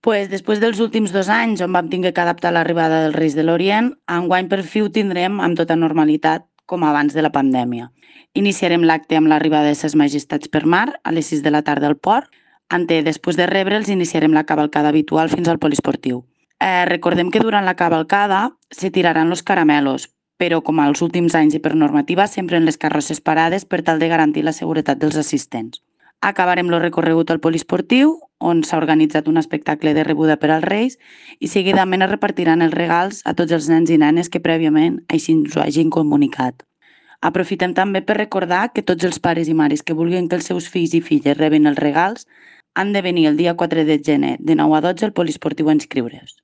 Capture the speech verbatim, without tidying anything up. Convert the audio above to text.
Pues després dels últims dos anys on vam tingué que adaptar l'arribada dels Reis de l'Orient, enguany per fi ho tindrem amb tota normalitat, com abans de la pandèmia. Iniciarem l'acte amb l'arribada de ses majestats per mar a les sis de la tarda al port. Ante, després de rebre'ls, iniciarem la cavalcada habitual fins al poliesportiu. Eh, recordem que durant la cavalcada se tiraran los caramelos, però com als últims anys i per normativa, sempre en les carrosses parades per tal de garantir la seguretat dels assistents. Acabarem el recorregut al poliesportiu, on s'ha organitzat un espectacle de rebuda per als Reis i seguidament es repartiran els regals a tots els nens i nenes que prèviament així ens ho hagin comunicat. Aprofitem també per recordar que tots els pares i mares que vulguin que els seus fills i filles rebin els regals han de venir el dia quatre de gener de nou a dotze al poliesportiu a inscriure's.